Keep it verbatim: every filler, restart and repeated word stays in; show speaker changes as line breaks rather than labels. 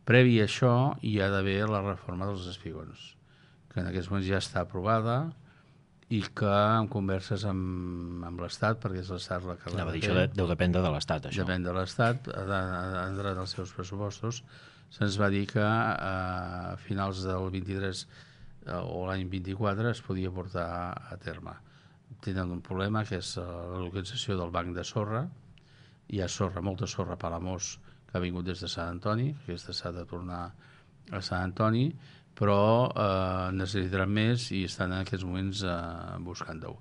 Previ a això hi ha d'haver la reforma dels espigons, que en aquests moments ja està aprovada i que en converses amb, amb l'Estat, perquè és l'Estat la que l'ha de fer.
Això deu dependre de l'Estat, això.
Depèn de l'Estat, ha d'entrar en els seus pressupostos. Se'ns va dir que a finals del vint-i-tres o l'any vint-i-quatre es podia portar a terme. Tenen un problema, que és la localització del banc de sorra. Hi ha sorra, molta sorra a Palamós, que ha vingut des de Sant Antoni, aquesta s'ha de tornar a Sant Antoni, però eh, necessitaran més i estan en aquests moments eh, buscant-ho.